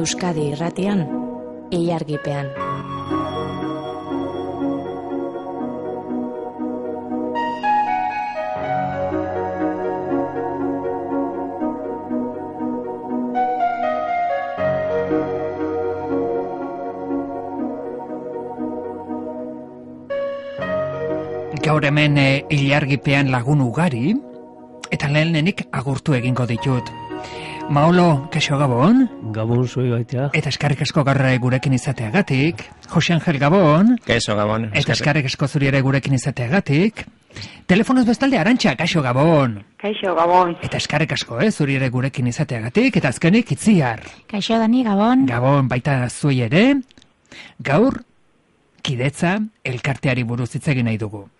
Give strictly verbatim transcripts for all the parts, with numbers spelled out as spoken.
Euskadi irratian, ilargipean. Gaur hemen e, ilargipean lagun ugari, eta lehenenik agurtu egingo ditut. Maolo, kaixo Gabon? Gabon zuei baitea. Eta eskarrik asko gaur gurekin izateagatik. Jose Angel Gabon? Kaixo Gabon. Eta eskarrik asko zuri ere gurekin izateagatik. Telefonoz bestalde Arantxa, kaixo Gabon? Kaixo Gabon. Eta eskarrik asko, eh, zuri ere gurekin izateagatik. Eta azkenik Itziar. Kaixo Dani, Gabon? Gabon, baita zuei ere. Gaur, kidetza elkarteari buruz hitz egin nahi dugu.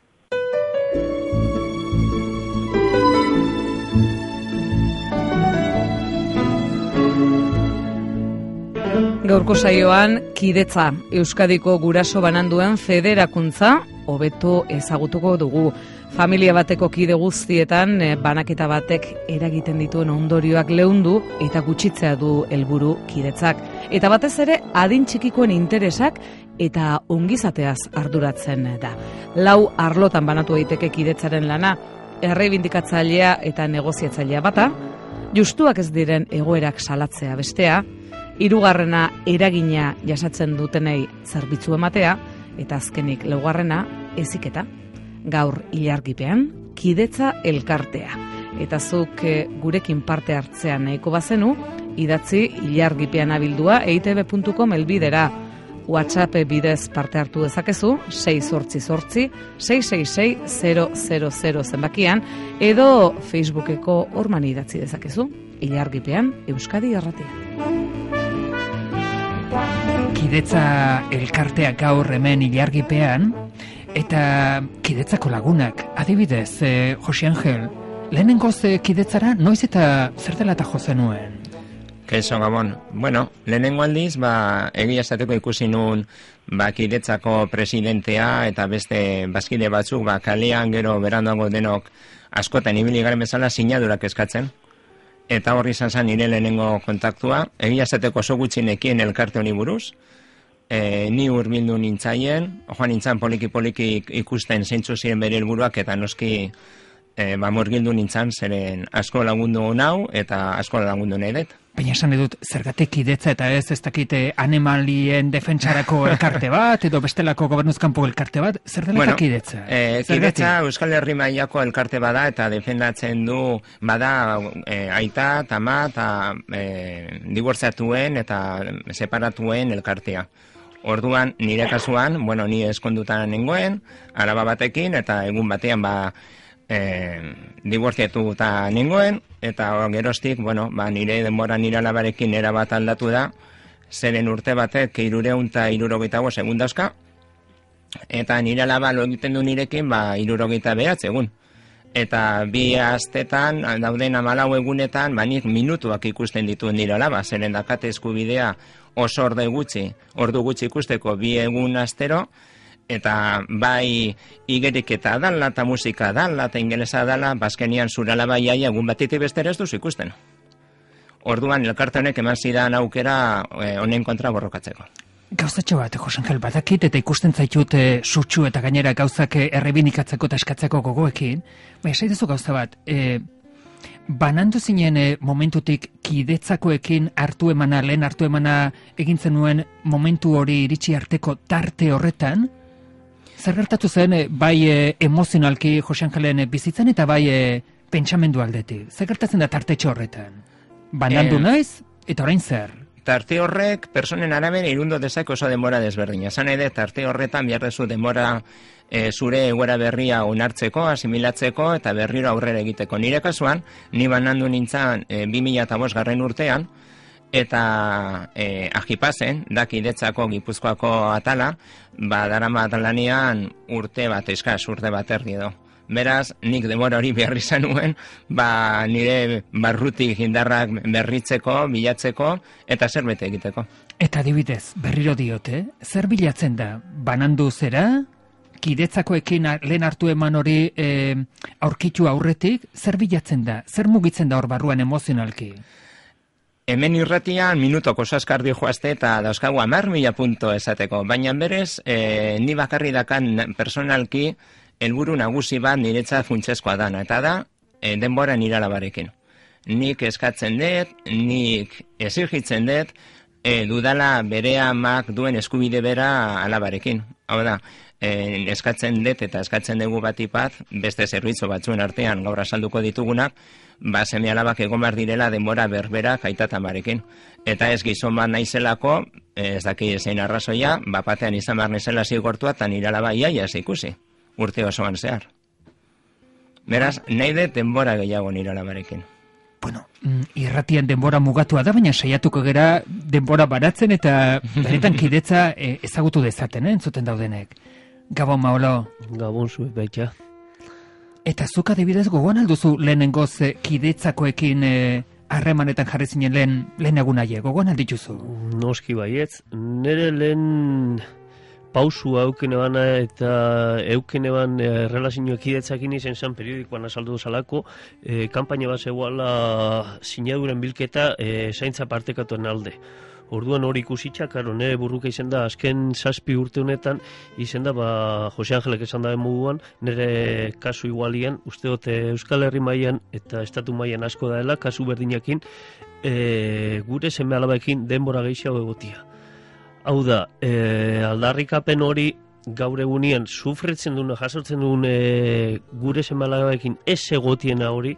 Gaurko saioan, kidetza, Euskadiko guraso bananduen federakuntza, hobeto ezagutuko dugu. Familia bateko kide guztietan, banaketa batek eragiten dituen ondorioak leundu eta gutxitzea du helburu kidetzak. Eta batez ere, adin txikikoen interesak eta ongizateaz arduratzen da. Lau arlotan banatu daiteke kidetzaren lana, erreibindikatzailea eta negoziatzailea bata, justuak ez diren egoerak salatzea bestea, hirugarrena eragina jasatzen dutenei zerbitzu ematea, eta azkenik laugarrena heziketa. Gaur ilargipean, kidetza elkartea. Eta zuk e, gurekin parte hartzean nahiko bazenu, idatzi ilargipean abildua e i te be puntu com elbidera. WhatsApp bidez parte hartu dezakezu, sei zortzi zortzi, sei sei sei, zero zero zero zenbakian, edo Facebookeko horman idatzi dezakezu, ilargipean Euskadi irratia. Kidetza elkartea gaur hemen ilargipean, eta kidetzako lagunak, adibidez, eh, Jose Angel, lehenengoz eh, kidetzara, noiz eta zer dela eta jozen nuen? Kaixo Gabon. Bueno, lehenengo aldiz, ba, egia esateko ikusi nun, ba, kidetzako presidentea eta beste bazkide batzuk, ba, kalean gero beranduago denok askotan ibili garen bezala sinadurak eskatzen. Eta horri izan zen nire lehenengo kontaktua. Egia esateko oso gutxinekien elkarte honi buruz. E, ni hurbildu nintzaien, joan nintzen poliki-poliki ikusten zeintzu ziren bere helburuak eta noski e, ba, murgildu nintzen zeren asko lagundu nau eta asko lagundu nahi dut. Baina esan edut, zergatik kidetza eta ez ez dakite animalien defentsarako elkarte bat, edo bestelako gobernuzkanpo elkarte bat, zer dela bueno, kidetza? E, kidetza Euskal Herri mailako elkarte bada eta defendatzen du bada e, aita, tama eta e, dibortziatuen eta separatuen elkartea. Orduan, nire kasuan, bueno, ni eskondutan nengoen, araba batekin, eta egun batean ba, e, dibortziatu eta nengoen, eta geroztik, bueno, ba, nire denbora nire alabarekin era bat aldatu da, zeren urte batek hirureun eta hirurogeita bost egun dauzka, eta nire alaba lo egiten du nirekin, ba, hirurogeita behatz egun. Eta bi astetan, dauden hamalau egunetan, ba, nik minutuak ikusten dituen nire alaba, zeren dakate eskubidea oso orde gutxi, ordu gutxi ikusteko bi egun astero, eta bai igerik eta dala, eta musika dala, eta ingelesa dala, bazkenian zurala bai aia egun batiti bestera ez duzu ikusten. Orduan, elkarte honek eman zidan aukera eh, honen kontra borrokatzeko. Gauzatxo bat, Jose Angel, badakit eta ikusten zaitut e, sutsu eta gainera gauzak errebinikatzeko eta eskatzeko gogoekin, baina saidezu gauza bat, e, banandu zinen e, momentutik kidetzakoekin hartu emana, lehen hartu emana egintzen nuen momentu hori iritsi arteko tarte horretan, zer gertatu zen e, bai e, emozionalki Jose Angelen e, bizitzan eta bai e, pentsamendu aldetik? Zer gertatzen da tartetxo horretan? Banandu eh... naiz eta orain zer? Tarte horrek, personen arabera irundo dezak oso denbora desberdina. Zan ere, tarte horretan behar dezu denbora e, zure egoera berria onartzeko, asimilatzeko eta berriro aurrera egiteko. Nire kasuan, ni banandu nintzen e, bi mila bost garren urtean, eta e, ajipazen, da kidetzako Gipuzkoako atala, ba, darama atalanean urte bat, eskaz, urte bat erdi edo. Beraz, nik demora hori behar izan nuen, ba, nire barrutik indarrak berritzeko, bilatzeko, eta zerbait egiteko. Eta adibidez, berriro diote, zer bilatzen da? Banandu zera? Kidetzakoekin lehen hartu eman hori e, aurkitu aurretik, zer bilatzen da? Zer mugitzen da hor barruan emozionalki? Hemen irratian minutoko saskardi joazte eta dauzkagu hamar mila punto esateko, baina berez, e, ni bakarri dakan personalki helburu nagusi bat niretzat funtsezkoa dana, eta da, e, denbora nire alabarekin. Nik eskatzen dut, nik exigitzen dut, e, dudala bere amak duen eskubide bera alabarekin. Hau da, e, eskatzen dut eta eskatzen dugu batipat, beste zerbitzu batzuen artean gaur azalduko ditugunak, ba, seme alabak egon behar direla denbora berberak aitatabarekin. Eta ez gizon bat naizelako, ez daki zein arrazoia, bapatean izan behar nezela zigortua, eta nire alaba iaia ez ikusi, urte osoan zehar. Beraz, nahi dut denbora gehiago nire alabarekin. Bueno, irratian denbora mugatua da, baina saiatuko gera denbora baratzen eta benetan kidetza e, ezagutu dezaten, eh, entzuten daudenek. Gabon, Maolo. Gabon zuek baita. Eta zuk adibidez gogoan alduzu lehenengoz e, kidetzakoekin harremanetan jarri zinen lehen, lehen egunaie, gogoan aldituzu? Noski baietz, nire lehen pausua eukene bana eta eukene ban e, relazioa kidetzakin izen zan periodikoan azaldu zalako, e, kampaina bat zegoela sinaduren bilketa e, zaintza partekatuen alde. Orduan hori ikusitza, karo, nire burruka izen da, azken zazpi urte honetan, izen da, ba, Jose Angelek esan da moduan, nire kasu igualian, uste dut Euskal Herri mailan eta estatu mailan asko daela, kasu berdinakin, e, gure seme alabaekin denbora gehiago egotia. Hau da, e, aldarrikapen hori gaur egunean sufritzen duen, jasotzen duen e, gure seme alabaekin ez egotiena hori,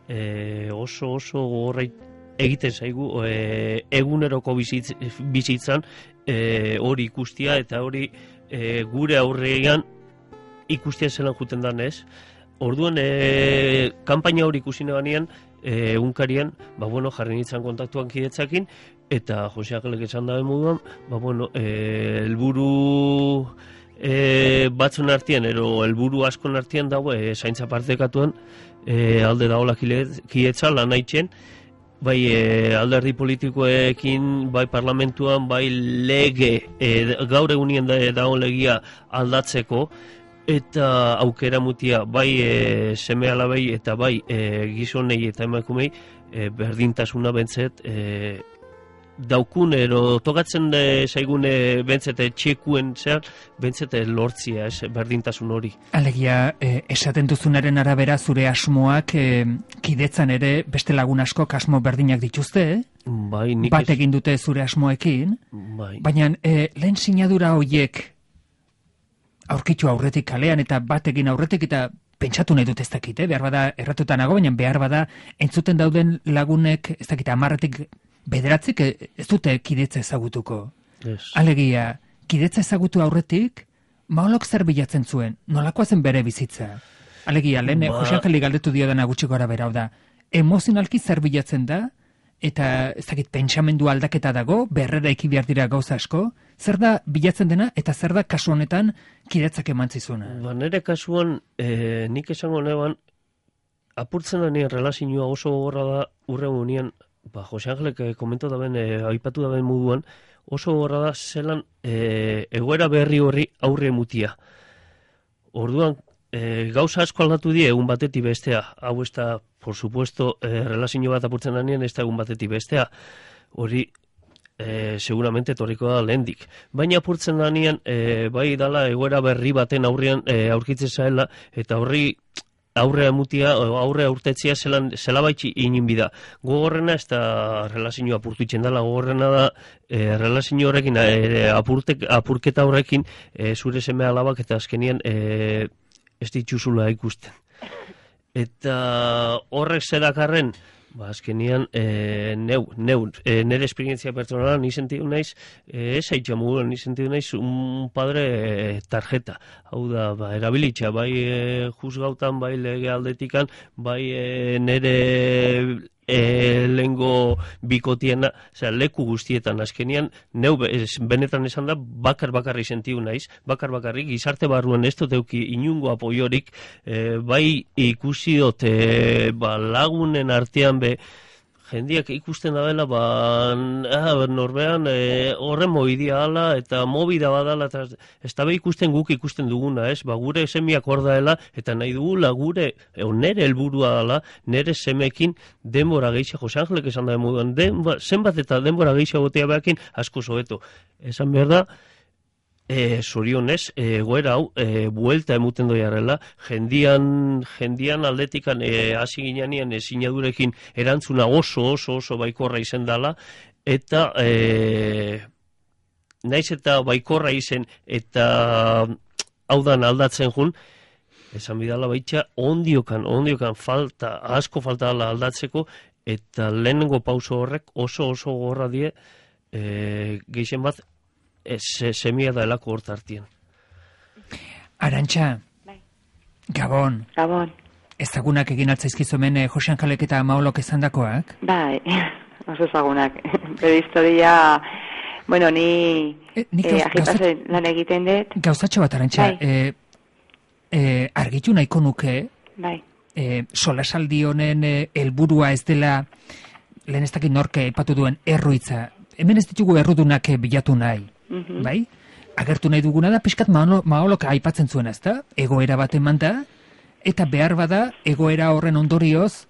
e, oso oso gogorrait egiten zaigu e, eguneroko bizitz, bizitzan e, hori ikustia eta hori e, gure aurrean ikustia zelan juten dan ez. Orduan, e, kanpaina hori ikusine banean, e, unkarian, ba, bueno, jarri nintzen kontaktuan kidetzakin, eta Jose Angelek esan dabe moduan, ba, bueno, e, elburu e, batzun artean, ero elburu askon artean dago, e, zaintza partekatuan, e, alde daola kidetza, lan haitzen, bai e, alderdi politikoekin, bai parlamentuan, bai lege, e, gaur egunien da, dago legia aldatzeko, eta aukera mutia, bai e, seme alabei eta bai e, gizonei eta emakumei, e, berdintasuna bentzet, e, daukun, ero tokatzen de, zaigune bentzete txekuen zehar, bentzete lortzia, ez, berdintasun hori. Alegia, eh, esaten duzunaren arabera zure asmoak eh, kidetzan ere beste lagun askok asmo berdinak dituzte, eh? Bai, nik bat egin dute zure asmoekin, bai. Baina eh, lehen sinadura horiek aurkitu aurretik kalean eta bat egin aurretik eta pentsatu nahi dut ez dakit, eh? Behar bada erratutan nago, baina behar bada entzuten dauden lagunek, ez dakit, amarretik bederatzik ez dute kidetza ezagutuko. Yes. Alegia, kidetza ezagutu aurretik, Maolok zer bilatzen zuen, nolakoa zen bere bizitza? Alegia, lehen, ba... Jose Angeli galdetu dio dena gutxi gora bera, da, emozionalki zer bilatzen da, eta ez dakit, pentsamendu aldaketa dago, berrera iki behar dira gauza asko, zer da bilatzen dena, eta zer da kasu honetan kidetzak emantzizuna? Ba, nire kasuan, e, nik esango neban, apurtzen da nire relazioa oso gogorra da urren unien, ba, Jose Angelek komentu da ben, e, aipatu da ben moduan, oso gorra da zelan e, egoera berri horri aurre mutia. Orduan, e, gauza asko aldatu die egun batetik bestea. Hau ez da, por supuesto, e, relazio bat apurtzen danien ez da egun batetik bestea. Hori, e, seguramente torriko da lehendik. Baina apurtzen danien, e, bai dala egoera berri baten aurrean e, aurkitzen zaela, eta horri aurrea mutia, aurrea urtetzia zelan, zela baitxi inin bida. Gogorrena ez da relazioa apurtuitzen dela, gogorrena da e, relazio horrekin, e, apurtek, apurketa horrekin e, zure seme alabak eta azkenien e, ez dituzula ikusten. Eta horrek zedakarren, ba, azkenian, e, neu, neu, e, nire esperientzia pertsonala ni sentidu naiz, e, ez haitxa muguren, ni sentidu naiz un padre e, tarjeta. Hau da, ba, erabilitza, bai e, juzgautan, bai lege aldetikan, bai e, nire e, lengo bikotiena, osea, leku guztietan, azkenian, neu, ez, benetan esan da, bakar bakarri sentidu naiz, bakar bakarrik, gizarte barruan ez dut euki inungo apoiorik, e, bai ikusi dut, e, ba, lagunen artean be, jendiak ikusten dabela, ba, ah, norbean e, horren mobidia ala, eta mobida badala, eta ez da be ikusten guk ikusten duguna, ez? Ba, gure semiak hor daela, eta nahi dugula gure, e, nere helburua dala, nere semekin denbora gehiago, Jose Angelek esan da moduan, denba, zenbat eta denbora gehiago gotea behakin, asko zobeto. Esan behar da, E, zorionez, egoera hau, e, buelta emuten doiarrela, jendian, jendian aldetikan e, hasi ginean sinadurekin erantzuna oso, oso, oso baikorra izen dala, eta e, naiz eta baikorra izen, eta hau dan aldatzen jun, esan bidala baitxa, ondiokan, ondiokan falta, asko falta dala aldatzeko, eta lehenengo pauso horrek oso, oso gorra die, e, geixen bat, Se, semia da elako hortartien. Arantxa, bai. Gabon. Gabon. Ezagunak egin altzaizkizumen eh, Jose Angelek eta Maolok esandakoak? Bai, oso ezagunak. Bere historia, bueno, ni e, nik eh, gauz, agipazen lan egiten dut. Gauzatxo bat, Arantxa, Bai. eh, eh, argitu nahiko nuke, Bai. eh, solasaldi honen eh, helburua ez dela, lehen ez dakit norke epatu duen erruitza, hemen ez ditugu errudunak eh, bilatu nahi. Mhm. Bai? Agertu nahi duguna da, pixkat Maolok aipatzen zuen, ez da? Egoera bat eman da, eta behar bada, egoera horren ondorioz,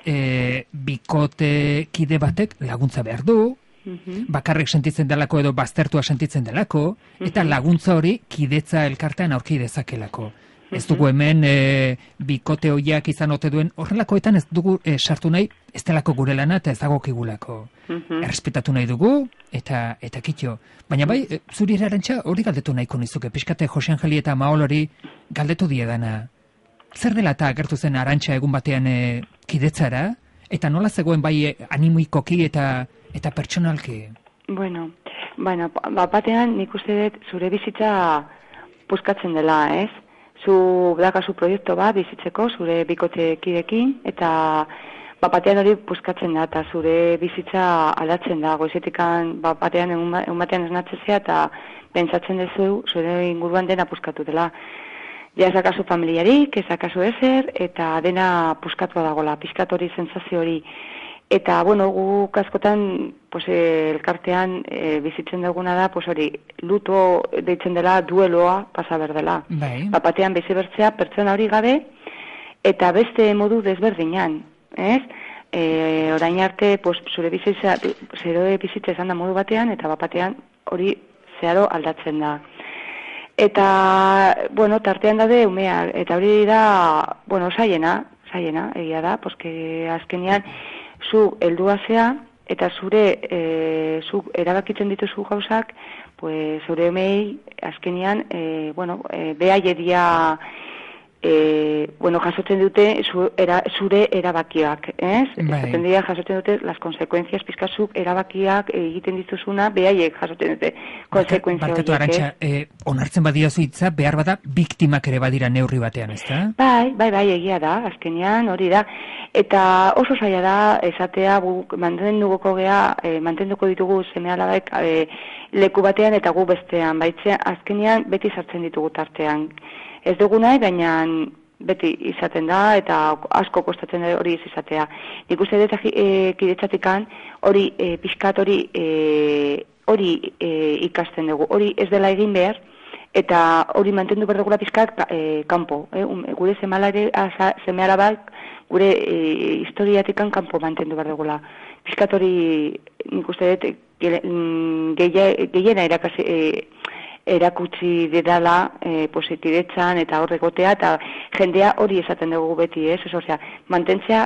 e, bikote kide batek laguntza behar du, Mhm. bakarrik sentitzen delako edo baztertua sentitzen delako, eta laguntza hori kidetza elkartean aurki dezakelako. Ez dugu hemen e, bikote hoiak izan ote duen, horrelakoetan ez dugu e, sartu nahi, ez delako gure lana eta ez dagokigulako. Mhm. Errespetatu nahi dugu, eta eta kitxo. Baina bai, e, zuri Arantxa hori galdetu nahiko nizuke, pixkate Jose Angeli eta Maol hori galdetu diedana. Zer dela eta agertu zen Arantxa egun batean e, kidetzara, eta nola zegoen bai e, animikoki eta eta pertsonalki? Bueno, bueno, bat batean nik uste dut zure bizitza puskatzen dela, ez? Zu dakazu proiektu bat bizitzeko zure bikotekidekin, eta bat batean hori puskatzen da, eta zure bizitza aldatzen da, goizetikan bat batean egun batean esnatzezea, eta pentsatzen duzu zure inguruan dena puskatu dela. Ja ezakazu familiarik, ezakazu ezer, eta dena puskatua dagoela, pizkat hori, sensazio hori. Eta, bueno, guk askotan, pues, elkartean e, bizitzen duguna da, pues, hori, luto deitzen dela, dueloa pasa berdela. Bai. Bapatean bizi bertzea pertsona hori gabe, eta beste modu desberdinan, ez? E, orain arte, pues, zure bizitza, zure bizitza esan da modu batean, eta bapatean hori zeharo aldatzen da. Eta, bueno, tartean daude umea, eta hori da, bueno, saiena, saiena, egia da, porque azkenean, zu heldua zea, eta zure, e, zu erabakitzen dituzu gauzak, pues, zure emei, azkenean, e, bueno, e, behaieria, e, bueno, jasotzen dute zu, era, zure erabakiak, ez? Bai. Esaten dira jasotzen dute las consecuencias, pizkazuk erabakiak egiten dituzuna, behaiek jasotzen dute konsekuentzia horiek. Barkatu Arantxa, eh, onartzen badiozu hitza, behar bada, biktimak ere badira neurri batean, ez da? Bai, bai, bai, egia da, azkenean hori da. Eta oso zaila da, esatea, guk mantenduko gea, e, mantenduko ditugu seme-alabek e, leku batean eta gu bestean, baitzean, azkenean beti sartzen ditugu tartean. Ez dugu nahi, baina beti izaten da, eta asko kostatzen da hori ez izatea. Nik uste dut e, kidetzatikan hori e, pixkat hori e, hori e, ikasten dugu, hori ez dela egin behar, eta hori mantendu behar dugula pixkat e, kanpo, e, um, gure seme-alabak gure e, historiatikan kanpo mantendu behar dugula. Pixkat hori nik uste dut gehiena erakasi e, erakutsi didala e, positidetzan eta horregotea, eta jendea hori esaten dugu beti, ez? Osea, mantentzea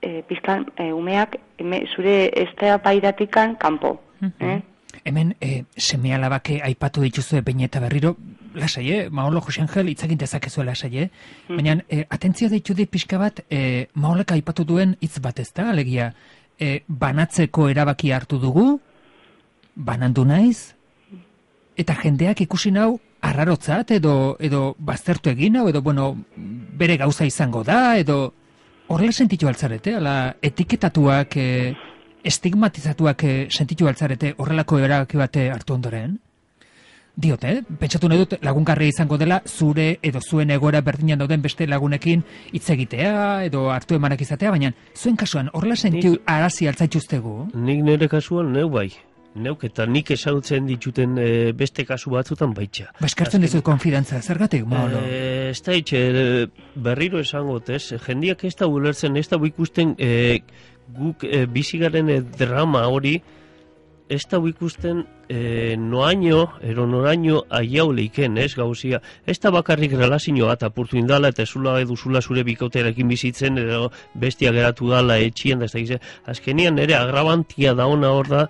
e, pizkan e, umeak eme, zure eztabaidatikan kanpo. Mm-hmm. eh? Hemen e, seme-alabak aipatu dituzue behin eta berriro, lasai, eh? Maolo Jose Angel itzagin dezakezu lasai, eh? Mm. Baina, e, atentzio deitu di pixka bat, e, Maolek aipatu duen hitz bat ez da, alegia, e, banatzeko erabaki hartu dugu, banandu naiz, eta jendeak ikusi nau arrarotzat edo edo baztertu egin hau edo bueno, bere gauza izango da edo horrela sentitu altzarete, ala etiketatuak, e, estigmatizatuak e, sentitu altzarete horrelako erabaki bate hartu ondoren? Diot, eh? Pentsatu nahi dut lagungarria izango dela zure edo zuen egoera berdinan dauden beste lagunekin hitz egitea edo hartu emanak izatea, baina zuen kasuan horrela sentiu arazi altzaituztegu? Nik nire kasuan neu bai. Neuk eta nik ezagutzen dituten e, beste kasu batzutan baitxa. Ba, eskartzen dizut konfidantza, zergatik, Maolo? E, ez da itxe, berriro esango, ez? Jendiak ez da ulertzen, ez da ikusten e, guk e, bizigaren e, drama hori, ez da ikusten e, noaino, ero noraino aiau leiken, ez gauzia. Ez da bakarrik relazioa eta apurtu indala, eta zula eduzula zure bikauterakin bizitzen, edo bestia geratu dala etxien, da ez da gizien. Azkenian ere agrabantia da ona hor da,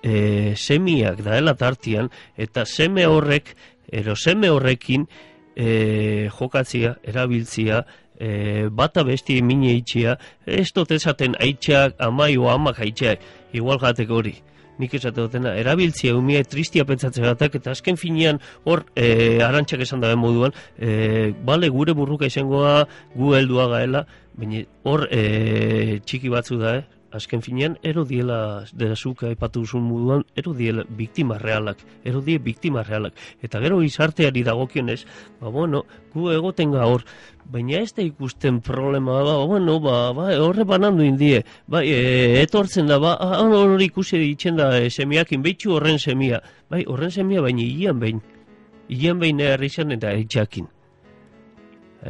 E, semiak daela tartian, eta seme horrek, ero seme horrekin e, jokatzia, erabiltzia, e, bata besti emine itxia, ez dut esaten aitxak, amai o amak aitxak, igual jateko hori. Nik esate dutena, erabiltzia umia tristia pentsatzen gatak, eta azken finean hor e, arantxak esan dabe moduan, e, bale gure burruka izangoa gu heldua gaela, baina hor e, txiki batzu da, eh? Azken finean, ero diela, derazuka epatu duzun moduan, ero diela biktima realak, ero die biktima realak. Eta gero izarteari dagokionez, ba, bueno, gu egoten gaur, baina ez da ikusten problema, ba, bueno, ba, ba, horre banandu indie, ba, e, etortzen da, ba, hori ikusi ditzen da e, semiakin, behitxu horren semia, bai, horren semia, baina hilan behin, hilan behin erri zen eta aitxakin,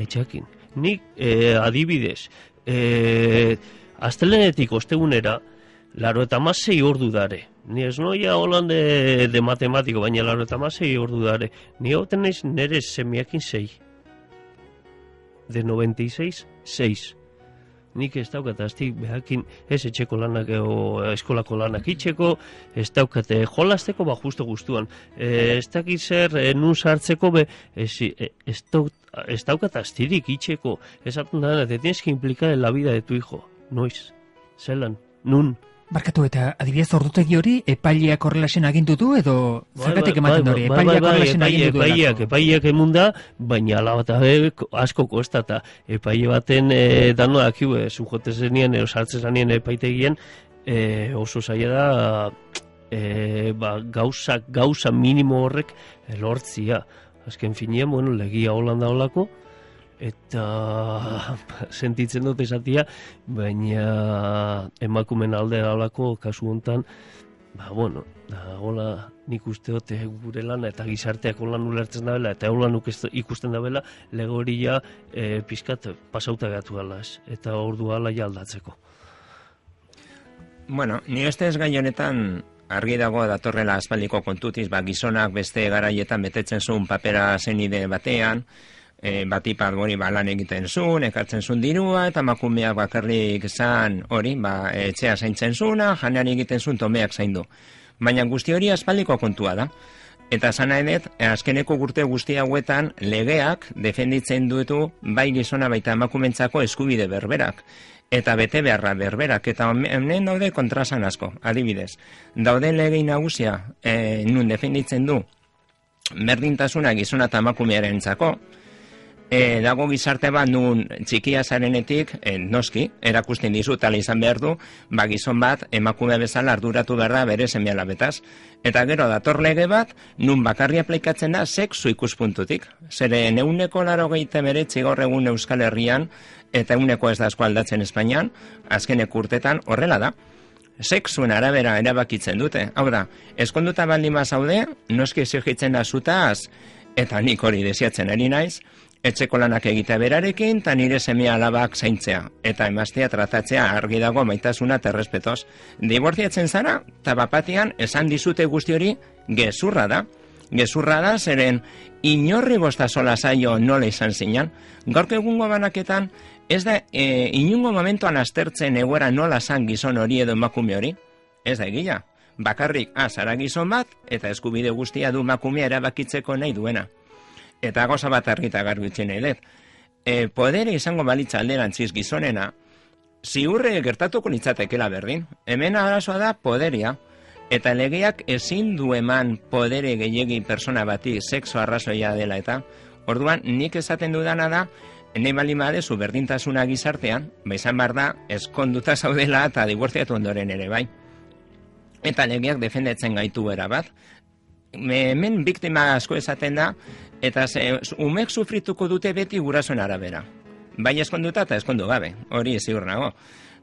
aitxakin. Nik, e, adibidez, e, astelenetik ostegunera, laro eta masei ordu dare. Ni ez noia holan de, de matematiko, baina laro eta masei ordu dare. Ni hau tenez nire semiakin sei. De noventa y seis, seis. Nik ez daukat, aztik behakin ez etxeko lanak o eskolako lanak itxeko, ez daukat jolasteko, ba justo guztuan. E, ez dakit zer, e, nun sartzeko, be, ez, e, ez, daukat, ez daukat astirik itxeko. Ez hartun da, te tienes que implicar en la vida de tu hijo. Noiz, zelan, nun. Barkatu eta adibidez ordutegi hori epaileak horrelasen agindu du edo zergatik ematen hori? Epaileak horrelasen agindu du. Epaileak, epaileak emunda, baina ala bat asko kostata. Epaile baten e, dano dakiu, e, zujote zenien, ero sartzen zenien epaitegien, e, oso zaila da e, ba, gauza, gauza minimo horrek lortzia. Azken finean, bueno, legia holanda holako, eta sentitzen dut esatia, baina emakumen alde alako kasu hontan, ba, bueno, da, hola, nik uste dut gure lana eta gizarteak holan ulertzen dabela, eta holan ikusten dabela, lego hori ja e, pizkat pasauta gatu alaz, eta ordu ala ja aldatzeko. Bueno, ni este ez gai honetan argi dago datorrela aspaldiko kontutiz, ba, gizonak beste garaietan betetzen zuen papera zenide batean, E, batipat hori ba, lan egiten zuen, ekartzen zuen dirua, eta emakumeak bakarrik zan hori, ba, etxea zaintzen zuena, janean egiten zuen tomeak zaindu. Baina guzti hori aspaldiko kontua da. Eta zana edet, azkeneko urte guzti hauetan legeak defenditzen duetu bai gizona baita emakumentzako eskubide berberak. Eta bete beharra berberak, eta hemen daude kontrasan asko, adibidez. Daude legei nagusia, e, nun defenditzen du berdintasuna gizona eta emakumearen txako. E, dago gizarte bat nun txikia zarenetik, e, noski, erakusten dizut ala izan behar du, ba gizon bat emakume bezala arduratu behar da bere seme alabetaz. Eta gero dator lege bat, nun bakarri aplikatzen da sexu ikuspuntutik. Zeren euneko laro gehiete beretzi gaur egun Euskal Herrian, eta euneko ez da asko aldatzen Espainian, azkenek urtetan horrela da. Sexuen arabera erabakitzen dute. Hau da, eskonduta baldin bazaude, noski exigitzen da zutaz, eta nik hori desiatzen ari naiz, etxeko lanak egitea berarekin, eta nire seme alabak zaintzea, eta emaztea tratatzea argi dago maitasuna eta errespetoz. Dibortziatzen zara, eta bapatian esan dizute guzti hori gezurra da. Gezurra da, zeren inorri bostazola zaio nola izan zinan. Gaurko egungo banaketan, ez da e, inungo momentuan aztertzen egoera nola zan gizon hori edo emakume hori. Ez da egia. Bakarrik, ah, zara gizon bat, eta eskubide guztia du emakumea erabakitzeko nahi duena. Eta goza bat argita garbitzen nahi dut. E, podere izango balitza alderantziz gizonena, ziurre gertatuko litzatekela berdin. Hemen arazoa da poderia. Eta legeak ezin du eman podere gehiegi persona bati sexo arrazoia dela eta. Orduan, nik esaten dudana da, nahi baldin badezu berdintasuna gizartean, ba izan behar da, eskonduta zaudela eta dibortziatu ondoren ere bai. Eta legeak defendetzen gaitu era bat. hemen biktima asko esaten da, eta ze, umek sufrituko dute beti gurasoen arabera. Bai eskonduta eta eskondu gabe, hori ziur nago.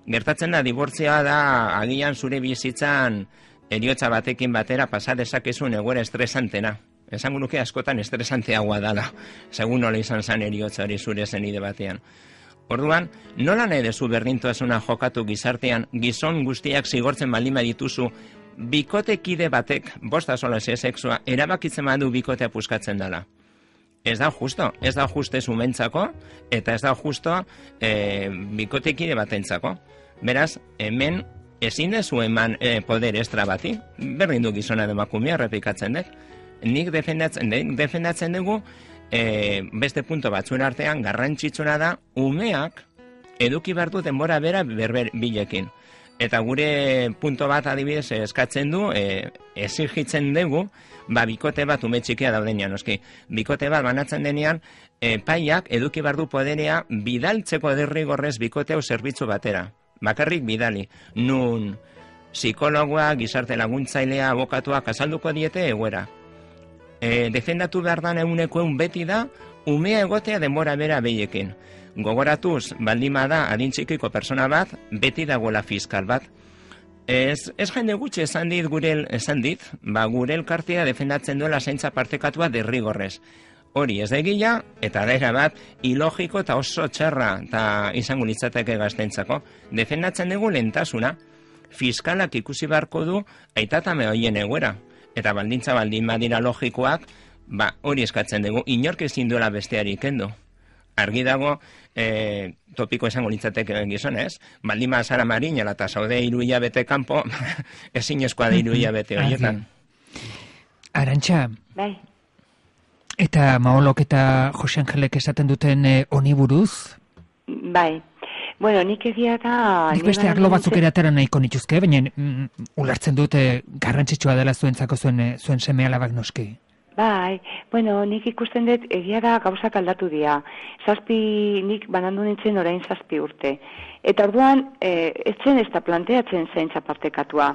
Gertatzen da, dibortzioa da, agian zure bizitzan eriotza batekin batera pasa dezakezun egoera estresantena. Esango nuke askotan estresanteagoa dala, segun nola izan zan eriotza hori zure zenide batean. Orduan, nola nahi dezu berdintasuna jokatu gizartean, gizon guztiak zigortzen baldin badituzu, bikotekide batek, bosta sola ze sexua, erabakitzen badu bikotea puskatzen dela. Ez da justo, ez da juste zumentzako, eta ez da justo e, bikotekide batentzako. Beraz, hemen ezin dezu eman e, poder estra bati, berdin du gizona demakumea errepikatzen dut. Nik defendatzen, defendatzen dugu, e, beste punto batzuen artean, garrantzitsuna da, umeak eduki behar du denbora bera berber bilekin. Eta gure punto bat adibidez eskatzen du, e, exigitzen dugu, ba, bikote bat ume txikia daudenean, noski. Bikote bat banatzen denean, epaiak eduki behar du poderea bidaltzeko derrigorrez bikote hau zerbitzu batera. Bakarrik bidali. Nun psikologoa, gizarte laguntzailea, abokatuak azalduko diete egoera. E, defendatu behar dan eguneko egun beti da, umea egotea denbora bera behiekin. Gogoratuz, baldima da adintxikiko persona bat, beti dagoela fiskal bat. Ez, ez jende gutxi esan dit gure, esan dit, ba gure elkartea defendatzen duela zaintza partekatua derrigorrez. Hori ez da egia, eta da bat, ilogiko eta oso txarra eta izango litzateke gaztentzako. Defendatzen dugu lehentasuna, fiskalak ikusi beharko du aitatame hoien egoera. Eta baldintza baldin badira logikoak, ba hori eskatzen dugu, inork ezin duela besteari kendu. Argi dago, e, topiko esango litzateke gizonez, baldin bazara marinela eta zaude hiru hilabete kanpo, ezin eskoa da hiru hilabete horietan. Arantxa, Bai. eta Maolok eta Jose Angelek esaten duten eh, honi buruz? Bai. Bueno, nik egia eta... Nik beste arlo batzuk ere atera nahiko nituzke, baina mm, ulertzen dute garrantzitsua dela zuentzako zuen, eh, zuen seme alabak noski. Bai, bueno, nik ikusten dut egia da gauzak aldatu dira. Zazpi, nik banandu nintzen orain zazpi urte. Eta orduan, e, etzen ez da planteatzen zaintza partekatua.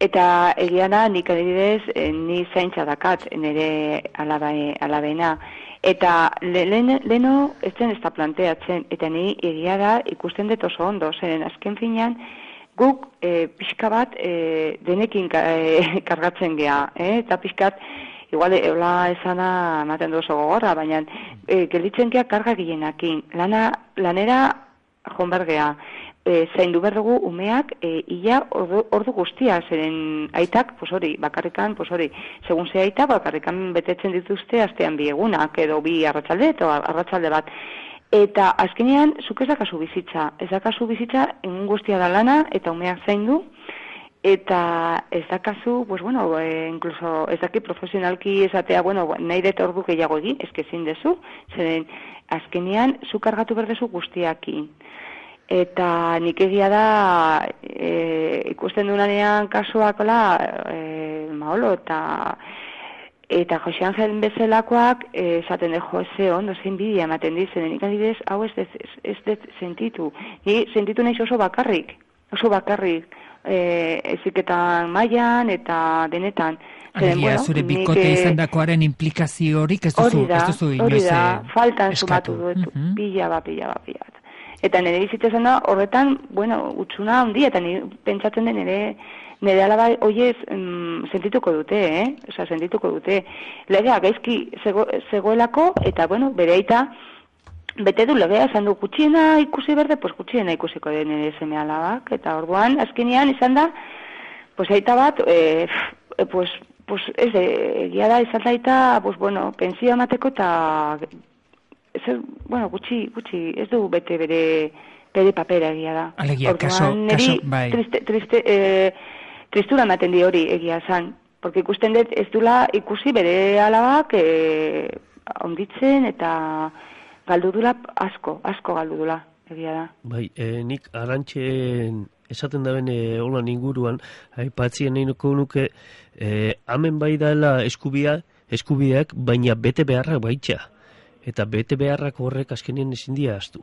Eta egia da, nik adibidez, e, ni zaintza dakat, nire alabe, alabena. Eta leheno le, etzen ez da planteatzen, eta ni egia da ikusten dut oso ondo, zeren azken finean, guk e, pixka bat e, denekin ka, e, kargatzen geha, eh? Eta pixkat, igual, eola esana ematen du oso gogorra, baina e, gelditzen geha karga gillenakin. Lana, lanera jonbergea, e, zaindu behar dugu umeak e, ia ordu, ordu guztia, zeren aitak, pues hori, bakarrikan, pues hori, segun ze aita, bakarrikan betetzen dituzte astean bi egunak, edo bi arratsalde, edo arratsalde bat. Eta azkenean, zuk ez dakazu bizitza, ez dakazu bizitza, egun guztia da lana, eta umeak zaindu, eta ez dakazu, pues bueno, e, incluso ez daki profesionalki esatea, bueno, nahi dut ordu gehiago egin, ez kezin dezu, zeren azkenean, zu kargatu berdezu guztiakin. Eta nik egia da, e, ikusten dunanean kasuakola, e, Maolo, eta eta Jose Angel bezalakoak, e, esaten de Jose ondo, zein bidia ematen dizen, nik adibidez, hau ez dut ez, ez sentitu. Ni sentitu nahiz oso bakarrik, oso bakarrik, e, eziketan mailan eta denetan. Alegia, bueno, zure bikote nik, izan dakoaren implikazio horik ez duzu, da, ez duzu inoiz hori da, faltan eskatu. sumatu duetu, Uh -huh. pila bat, pila bat, pila bat. Eta nire bizitza zen da, horretan, bueno, utxuna handi, eta nire pentsatzen den nire, nire alaba hoiez mm, sentituko dute, eh? Osa, sentituko dute. Legea gaizki zego, zegoelako, eta, bueno, bere aita, bete du legea, esan du gutxiena ikusi berde, pues gutxiena ikusiko den nire seme alabak, eta orduan, azkenean, izan da, pues aita bat, eh, pues, pues, ez de, egia da, izan da aita, pues, bueno, pensio emateko eta... Ez, bueno, gutxi, gutxi, ez du bete bere, bere papera egia da. Alegia, Orduan, kaso, neri, kaso, bai. Triste, triste, eh, tristura ematen di hori egia zan. Porque ikusten dut ez dula ikusi bere alabak eh, onditzen eta galdu dula asko, asko galdu dula egia da. Bai, e, nik Arantxen esaten da bene holan inguruan, aipatzien nahi nuke, e, hemen bai daela eskubia, eskubideak, baina bete beharrak baitxa. Eta bete beharrak horrek azkenien ezin dira astu.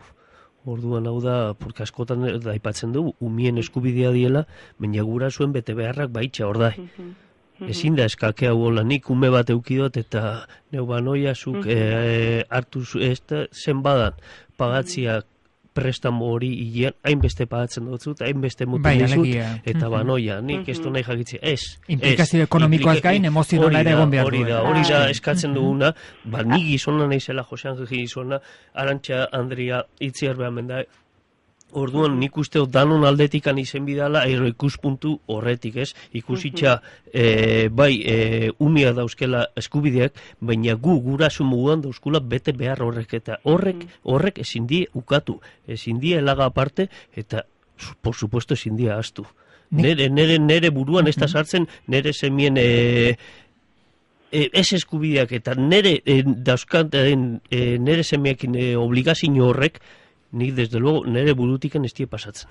Orduan hau da, porque askotan da aipatzen dugu, umien eskubidea diela, baina gura zuen bete beharrak baitxa, hor da. ezin da eskake hau hola, nik ume bat eukidot eta neu banoia zuk e, hartu ez da zen badan pagatziak prestamo hori hilean, hainbeste pagatzen dutzu, hainbeste mutu bai, dizut, alegia. eta banoia, nik ez du nahi jakitzi, ez. Implikazio ekonomikoaz gain, emozionala ere egon behar Hori du. da, hori da eskatzen duguna, ba, ni gizona naizela, Jose Angel gizona, Arantxa Andrea itziar behar menda, orduan nik uste danon aldetikan izen bidala, ero ikuspuntu horretik, ez? Ikusitxa, e, bai, e, unia dauzkela eskubideak, baina gu gurasu muguan dauzkula bete behar horrek, eta horrek, horrek ezin die ukatu, ezin die elaga aparte, eta, por supuesto, ezin die astu. Nere, nere, nere buruan ez da sartzen, nere semien e, e, ez eskubideak, eta nere e, dauzkanten, e, nere semiekin e, obligazio horrek, nik, desde luego, nire burutiken ez die pasatzen.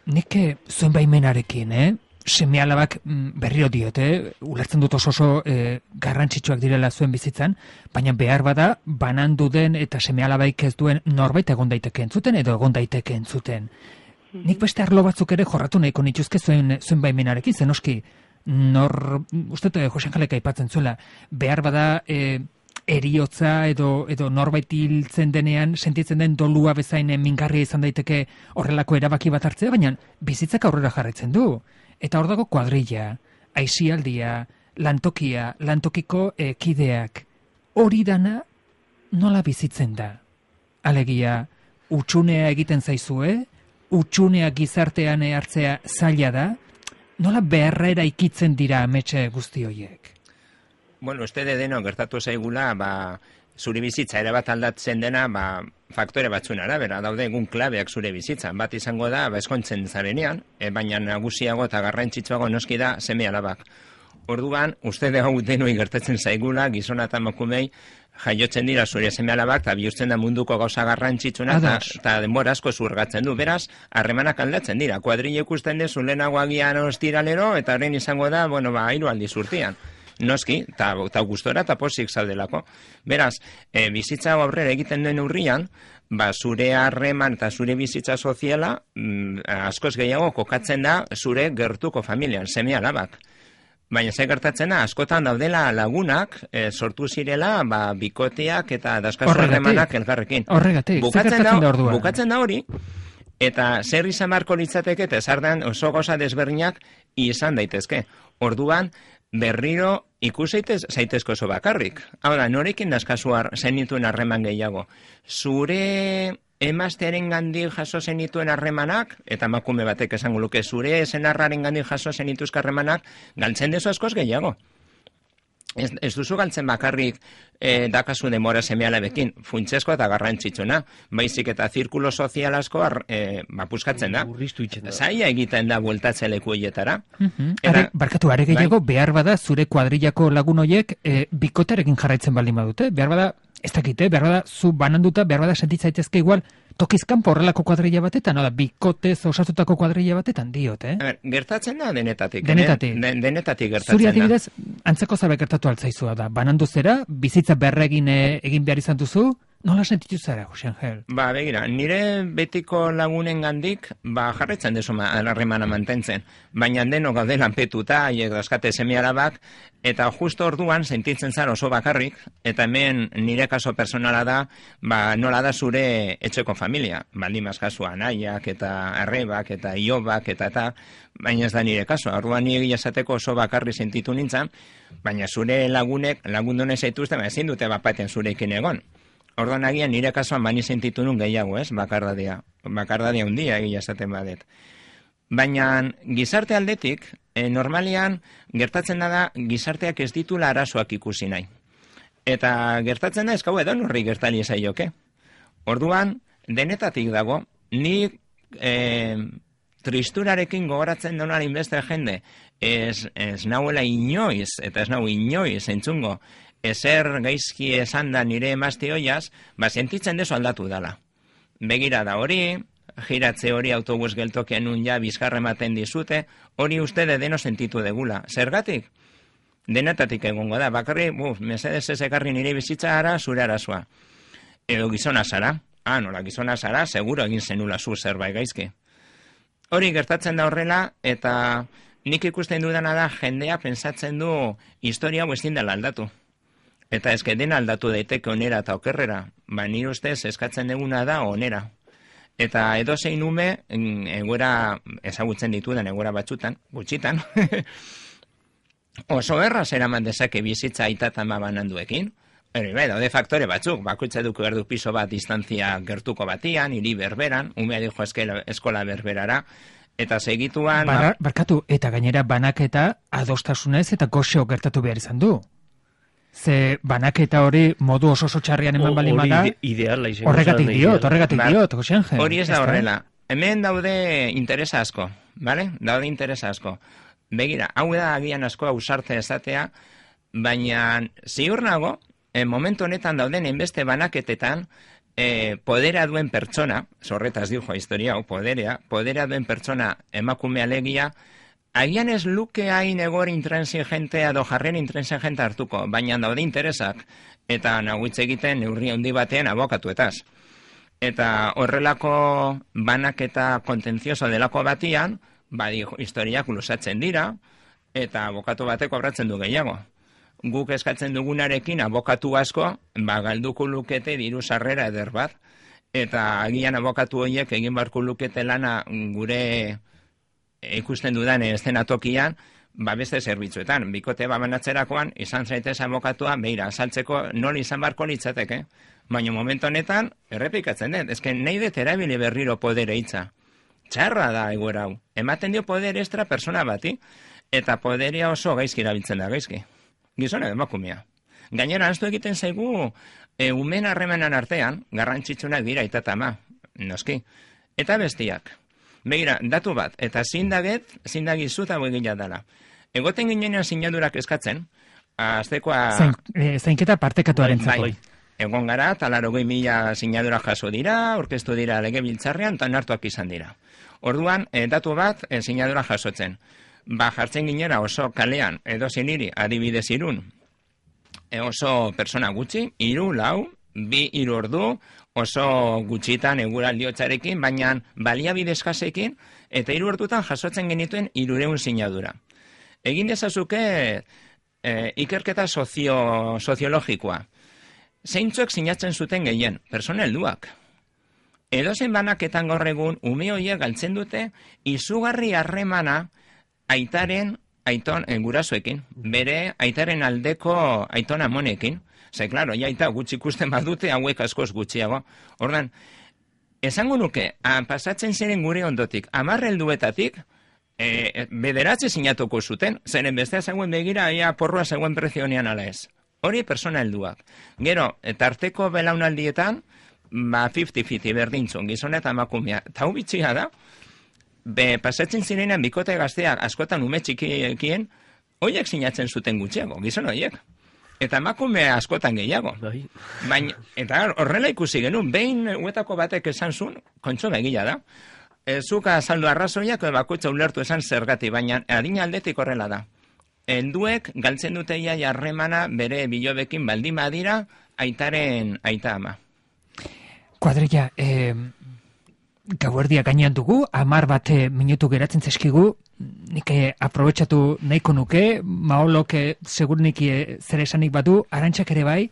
Nik zuen baimenarekin, eh? Seme alabak berriro diote, ulertzen dut oso oso eh, garrantzitsuak direla zuen bizitzan, baina behar bada, banandu den eta seme alabaik ez duen norbait egon daiteke entzuten edo egon daiteke entzuten. Nik beste arlo batzuk ere jorratu nahiko nituzke zuen, zuen baimenarekin, zen oski, nor, uste dut, Jose Angelek aipatzen zuela, behar bada... Eh, eriotza edo edo norbait hiltzen denean sentitzen den dolua bezain mingarria izan daiteke horrelako erabaki bat hartzea, baina bizitzak aurrera jarraitzen du. Eta hor dago kuadrilla, aisialdia, lantokia, lantokiko eh, kideak. Hori dana nola bizitzen da? Alegia, utxunea egiten zaizue, utxunea gizartean hartzea zaila da, nola beharra eraikitzen dira ametxe guzti horiek? Bueno, uste de deno gertatu zaigula, ba, zure bizitza ere bat aldatzen dena, ba, faktore batzun arabera, daude egun klabeak zure bizitzan. Bat izango da, ba, eskontzen zarenean, e, baina nagusiago eta garrantzitsuago noski da seme alabak. Orduan, uste de hau denoi gertatzen zaigula, gizona eta emakumei jaiotzen dira zure seme alabak, eta bihurtzen da munduko gauza garrantzitsuna, eta denbora asko zurgatzen du. Beraz, harremanak aldatzen dira. Kuadrilla ikusten dezu lehenago agian ostiralero, eta horren izango da, bueno, ba, hiru aldiz urtean. Noski, eta gustora eta posik zaudelako. Beraz, e, bizitza aurrera egiten duen urrian, ba, zure harreman eta zure bizitza soziala mm, askoz gehiago kokatzen da zure gertuko familian, seme alabak. Baina ze gertatzen da, askotan daudela lagunak e, sortu zirela ba, bikoteak eta daskazu harremanak elkarrekin. Horregatik, ze gertatzen da orduan? Bukatzen da hori, eta zer izan beharko litzateke, eta zardan oso goza desberdinak izan daitezke. Orduan, berriro ikuseitez zaitezko oso bakarrik. Hau da, norekin dazkazuar zenituen harreman gehiago. Zure emaztearen gandik jaso zenituen harremanak, eta emakume batek esango luke, zure senarraren gandik jaso zenituzka harremanak, galtzen dezu askoz gehiago. Ez, ez duzu galtzen bakarrik e, dakazu demora seme alabekin, funtsezko eta garrantzitsuna, baizik eta zirkulo sozial asko e, bapuskatzen da. Zaila egiten da bueltatze leku horietara. Uh-huh. Eta, barkatu, are gehiago, bai? Behar bada zure kuadrillako lagun horiek e, bikoterekin jarraitzen baldin badute, behar bada, ez dakite, behar bada zu bananduta, behar bada sentitzaitezke igual, tokizkan porrelako kuadrilla batetan, no da, bikotez osatutako kuadrilla batetan diot, eh? A ber, gertatzen da denetatik. Denetatik. Den, denetatik gertatzen Zuri da. Zuri adibidez, antzeko zabe gertatu altzaizua da. Banandu zera, bizitza berregin egin behar izan duzu, nola sentitu zara, Jose Angel? Ba, begira, nire betiko lagunen gandik, ba, jarretzen dezu harremana mantentzen. Baina deno gaude lanpetuta, haiek dauzkate seme alabak, eta justo orduan sentitzen zara oso bakarrik, eta hemen nire kaso personala da, ba, nola da zure etxeko familia. Baldimaz kasua anaiak, eta arrebak, eta iobak, eta eta, baina ez da nire kaso. Orduan nire esateko oso bakarri sentitu nintzen, baina zure lagunek, lagundone zaituzte, ba, ezin dute bapaten zurekin egon. Orduan agian nire kasuan bani sentitu nun gehiago, ez, bakardadia. Bakardadia hundia egia esaten badet. Baina gizarte aldetik, e, normalian gertatzen da gizarteak ez ditula arazoak ikusi nahi. Eta gertatzen da ez gau edo norri gertali zaioke. Orduan, denetatik dago, ni e, tristurarekin gogoratzen donar inbeste jende, ez, ez nauela inoiz, eta ez nau inoiz entzungo, ezer gaizki esan da nire emazte hoiaz, ba, sentitzen dezu aldatu dala. Begira da hori, giratze hori autobus geltokian nun ja bizkarre ematen dizute, hori uste de deno sentitu degula. Zergatik? Denetatik egongo da, bakarri, buf, mesedez ez ekarri nire bizitza ara, zure arazoa. Edo gizona zara, ah, nola gizona zara, seguro egin zenula zu zerbait gaizki. Hori gertatzen da horrela, eta nik ikusten dudana da, jendea pensatzen du historia hau ezin dela aldatu. Eta ezke dena aldatu daiteke onera eta okerrera, ba nire ustez eskatzen duguna da onera. Eta edozein ume, egoera ezagutzen ditudan, egoera batzutan, gutxitan, oso erraz eraman dezake bizitza aita eta ama bananduekin. Eri, bai, daude faktore batzuk, bakoitza duko erdu piso bat distantzia gertuko batian, hiri berberan, umea dijo eskola berberara, eta segituan... Bar, barkatu, eta gainera banaketa adostasunez eta goxo gertatu behar izan du. Ze banaketa hori modu oso oso txarrian eman bali mada, horregatik diot, horregatik diot, goxen jen. Hori ez da horrela. Hemen daude interesa asko, bale? Daude interesa asko. Begira, hau da agian asko ausarte esatea, baina ziur nago, en momentu honetan dauden enbeste banaketetan, eh, podera duen pertsona, zorretaz dijo historia, hau, poderea, podera duen pertsona emakume alegia, agian ez luke hain egor intransigente edo jarren intransigente hartuko, baina daude interesak, eta naguitz egiten neurri handi batean abokatuetaz. Eta horrelako banaketa kontentzioso delako batian, badi historiak lusatzen dira, eta abokatu batek kobratzen du gehiago. Guk eskatzen dugunarekin abokatu asko, ba, galduko lukete diru sarrera eder bat, eta agian abokatu horiek egin barko lukete lana gure ikusten dudan eszenatokian, ba beste zerbitzuetan. Bikote babanatzerakoan, izan zaitez abokatua, beira, saltzeko nola izan barko litzateke. Baina momentu honetan, errepikatzen dut, ezken nahi dut erabili berriro podere hitza. Txarra da egoera hau. Ematen dio poder extra persona bati, eta poderia oso gaizki erabiltzen da gaizki. Gizona emakumea. Gainera, anztu egiten zaigu, e, umen harremanan artean, garrantzitsunak dira itatama, noski. Eta bestiak. Begira, datu bat, eta zindaget, zindagizu eta begila dela. Egoten ginenean sinadurak eskatzen, aztekoa... Zain, e, zainketa partekatuaren zako. Bai, egon gara, talarogei mila sinadura jaso dira, orkestu dira legebiltzarrean, eta nartuak izan dira. Orduan, e, datu bat, e, sinadura jasotzen. Ba, jartzen ginera oso kalean, edo ziniri, adibidez irun, e, oso persona gutxi, iru, lau, bi, iru ordu, oso gutxitan eguraldiotzarekin, baina baliabide eskasekin, eta hiru ordutan jasotzen genituen hirureun sinadura. Egin dezazuke e, ikerketa sozio, soziologikoa. Zeintzuek sinatzen zuten gehien, persona helduak. Edozen banaketan gaur egun, ume horiek galtzen dute, izugarri harremana aitaren aiton e, gurasoekin, bere aitaren aldeko aiton amonekin. Ze, klaro, jaita gutxi ikusten badute, hauek askoz gutxiago. Ordan, esango nuke, a, pasatzen ziren gure ondotik, amarre helduetatik, e, bederatze sinatuko zuten, zeren bestea zegoen begira, ia porroa zegoen prezionean ala ez. Hori persona helduak. Gero, tarteko belaunaldietan, ba, fifty fifty berdintzun, gizona eta emakumea. Eta hau bitxia da, be, pasatzen zirenean bikote gazteak askotan ume txikien, horiek sinatzen zuten gutxiago, gizona horiek. Eta emakume askotan gehiago. Baina, eta horrela ikusi genuen, behin huetako batek esan zuen, kontxo begila da. E, zuka azaldu arrazoiak, bakoitza ulertu esan zergati, baina adina aldetik horrela da. Helduek galtzen dute ia jarremana bere bilobekin baldin badira, aitaren aita ama. Kuadrilla, eh, gauerdia gainean dugu, amar bat minutu geratzen zeskigu, nik aprobetxatu nahiko nuke, maolok segur nik zer esanik badu, arantxak ere bai,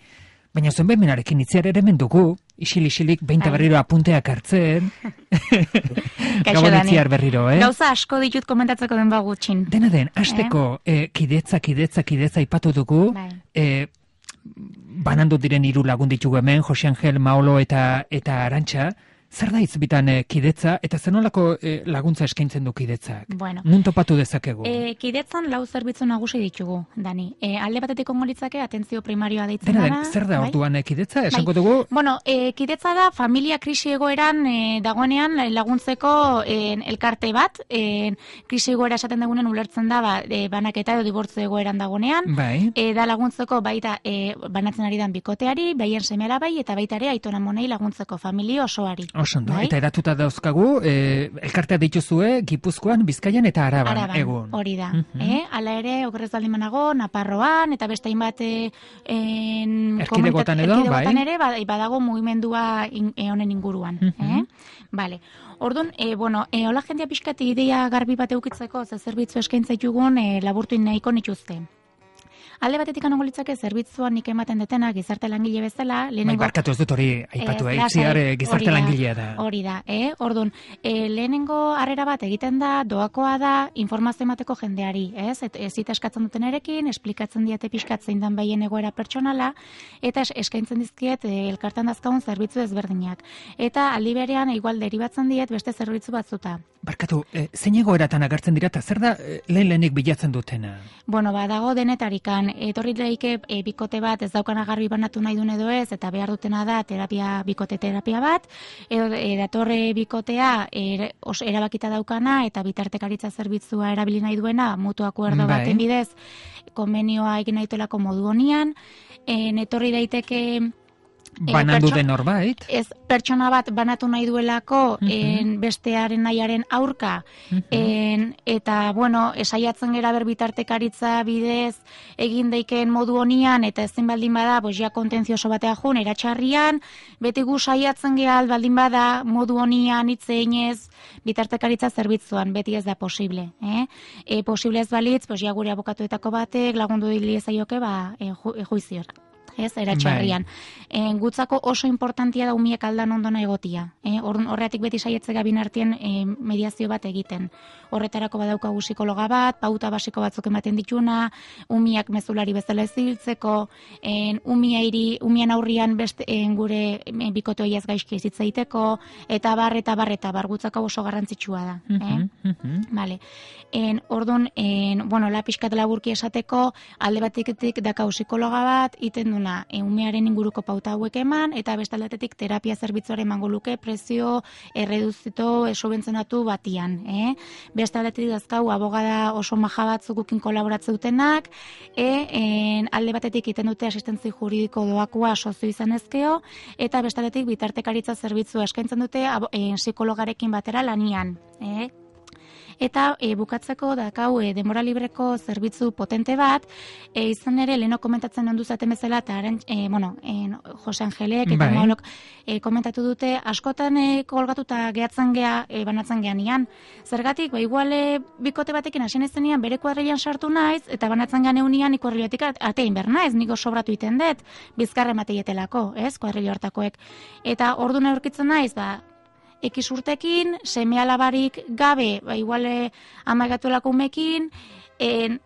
baina zuen behemenarekin itziar ere mendugu, isil-isilik behinta berriro apunteak hartzen, gabon itziar berriro, eh? Gauza asko ditut komentatzeko den bagutxin. Dena den, hasteko eh? eh, kidetza, kidetza, kidetza ipatu dugu, eh, banandu diren hiru lagun ditugu hemen, Jose Angel, Maolo eta, eta Arantxa, zer da izbitan e, kidetza, eta zenolako e, laguntza eskaintzen du kidetzak? Bueno, nun topatu dezakegu? E, kidetzan lau zerbitzu nagusi ditugu, Dani. E, alde batetik ongo litzake, atentzio primarioa deitzen dena, dara. Zer da bai? orduan e, kidetza? Esango bai. dugu? Bueno, e, kidetza da familia krisi egoeran e, dagoenean laguntzeko e, elkarte bat. E, krisi egoera esaten dagoenen ulertzen da, ba, e, banaketa edo dibortzu egoeran dagoenean. Bai. E, da laguntzeko baita e, banatzen ari dan bikoteari, baien semela bai, eta baita ere aitona monei laguntzeko familia osoari. Oso ondo, Bai? eta edatuta dauzkagu, e, elkartea dituzue Gipuzkoan, Bizkaian eta Araban, Araban, egun. hori da. Mhm. eh? Hala ere, okerrez baldin banago, Naparroan, eta beste hainbat eh, en, Erkidegotan komunitate- edo, erkidegotan bai. ere, ba- badago mugimendua in, eh, honen inguruan. Mhm. eh? Vale. Orduan, e, bueno, e, hola jendia pixkat ideia garbi bat eukitzeko, ze zerbitzu eskaintza ditugun e, laburtu nahiko nituzte. Alde batetik anongo litzake zerbitzuan nik ematen detena gizarte langile bezala, Bai, lehenengo... barkatu ez dut hori aipatu, Ez, eh? lasai, Itziar eh, gizarte hori da, langilea da. Hori da, eh? Orduan, e, lehenengo harrera bat egiten da, doakoa da, informazio emateko jendeari, ez? Et, ez zita eskatzen duten erekin, esplikatzen diate pixkat zein dan behien egoera pertsonala, eta es, eskaintzen dizkiet e, elkartan dazkagun zerbitzu ezberdinak. Eta aldi berean, igual deribatzen diet beste zerbitzu batzuta. Barkatu, eh, zein egoeratan agertzen dira, eta zer da eh, lehen lehenik bilatzen dutena? Bueno, ba, dago denetarikan, etorri leike e, bikote bat ez daukana garbi banatu nahi duen edo ez, eta behar dutena da terapia, bikote terapia bat, edo e, datorre bikotea e, os, erabakita daukana, eta bitartekaritza zerbitzua erabili nahi duena, mutu akuerdo Bai. baten bidez, konbenioa egin nahituelako modu honian, e, etorri daiteke... Banandu pertso- den norbait? Ez pertsona bat banatu nahi duelako Mhm. en, bestearen nahiaren aurka Mhm. en, eta bueno, esaiatzen gera ber bitartekaritza bidez egin daikeen modu honian eta ezin baldin bada, bos ja kontentzioso batea jun eratxarrian, beti gu saiatzen gea baldin bada modu honian hitz eginez bitartekaritza zerbitzuan, beti ez da posible, eh? E, posible ez balitz, bos ja gure abokatuetako batek lagundu dilizaioke ba e, ju, e, juiziora. Ez, eratxarrian. E, gutzako oso importantia da umiek aldan ondona egotia. E, horretik beti saietzega binartien e, mediazio bat egiten. Horretarako badaukagu psikologa bat, pauta basiko batzuk ematen dituna, umiak mezulari bezala ez hiltzeko, en, umiairi, umien aurrian beste en, gure e, bikote hoiaz gaizki ez hitzaiteko, eta bar, eta bar, eta bar, gutzako oso garrantzitsua da. Eh? Mhm, mhm. Vale. En, orduan, en, bueno, la pixkat laburki esateko, alde batetik dakau psikologa bat, iten duna, e, umearen inguruko pauta hauek eman, eta beste aldetetik terapia zerbitzuaren emango luke prezio erreduzito, esubentzionatu batian. Eh? Beste aldetetik dazkau, abogada oso maja batzukukin kolaboratzen dutenak, e, en, alde batetik iten dute asistentzi juridiko doakoa sozio izan ezkeo, eta beste aldetik bitartekaritza zerbitzua eskaintzen dute abo, en, psikologarekin batera lanian. Eh? Eta e, bukatzeko dakau e, denbora libreko zerbitzu potente bat, e, izan ere leheno komentatzen ondu zaten bezala, eta haren, e, bueno, e, Jose Angelek eta Bai. Maolok e, komentatu dute, askotan e, kolgatuta gehatzen gea, e, banatzen gean ian. Zergatik, ba, igual e, bikote batekin hasien ezenean bere kuadrilan sartu naiz, eta banatzen gean eunian ikuadrilatik atein ber naiz, niko sobratu iten dut, bizkarre mateietelako, ez, kuadrilo hartakoek. Eta orduna aurkitzen naiz, ba, Ekiz urtekin, seme alabarik gabe, ba, iguale amagatuelako umekin, en,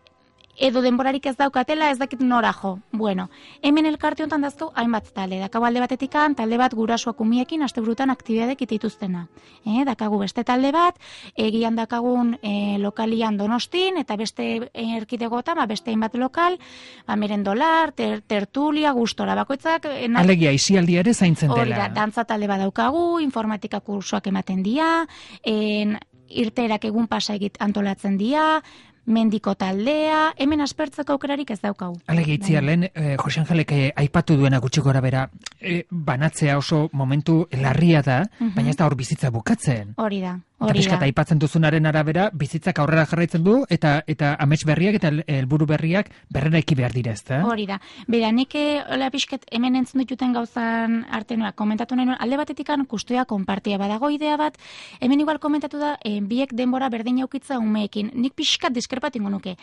edo denborarik ez daukatela, ez dakit nora jo. Bueno, hemen elkarte honetan dazkau hainbat talde. Dakago alde batetikan, talde bat gurasoak umiekin, asteburutan aktibidadek itituztena. Eh, dakagu beste talde bat, egian dakagun e, lokalian Donostin, eta beste erkidegotan, ba, beste hainbat lokal, ba, merendolar, ter, tertulia, gustora, bakoitzak... E, na- Alegia, isialdia ere zaintzen Hori dela. da, dantza talde badaukagu, informatika kursoak ematen dira, en, irteerak egun pasa egit antolatzen dira, mendiko taldea, hemen aspertzeko aukerarik ez daukagu. Alegia, itziar lehen, eh, Jose Angelek eh, aipatu duena gutxi gora bera, eh, banatzea oso momentu larria da, Mhm. baina ez da hor bizitza bukatzen. Hori da, Eta hori pixkat da. aipatzen duzunaren arabera, bizitzak aurrera jarraitzen du, eta eta amets berriak eta helburu berriak berreraiki behar dira, ezta? Hori da. Bera, nik eh, hola pixket hemen entzun dituten gauzan artenoa, komentatu nahi nuen, alde batetikan kustoia konpartia badago idea bat, hemen igual komentatu da, eh, biek denbora berdin aukitza umeekin. Nik pixkat diskerpatingo nuke.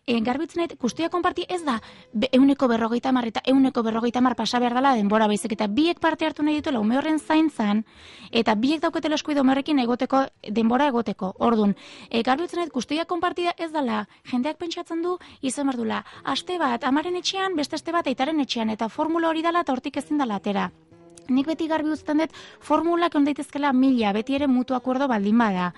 Eh, garbitzen nahi, kustoia konpartia ez da, be, euneko berrogeita mar eta euneko berrogeita mar pasa behar dela denbora baizik, eta biek parte hartu nahi dituela ume horren zaintzan, eta biek dauketela eskuide ume horrekin egoteko, denbora egoteko. Ordun, e, garbitzen nahi, kustoia konpartida ez dela, jendeak pentsatzen du, izan behar dula, aste bat, amaren etxean, beste aste bat, aitaren etxean, eta formula hori dela eta hortik ezin dela atera. Nik beti garbi uzten dut formulak on daitezkela mila, beti ere mutu akuerdo baldin bada.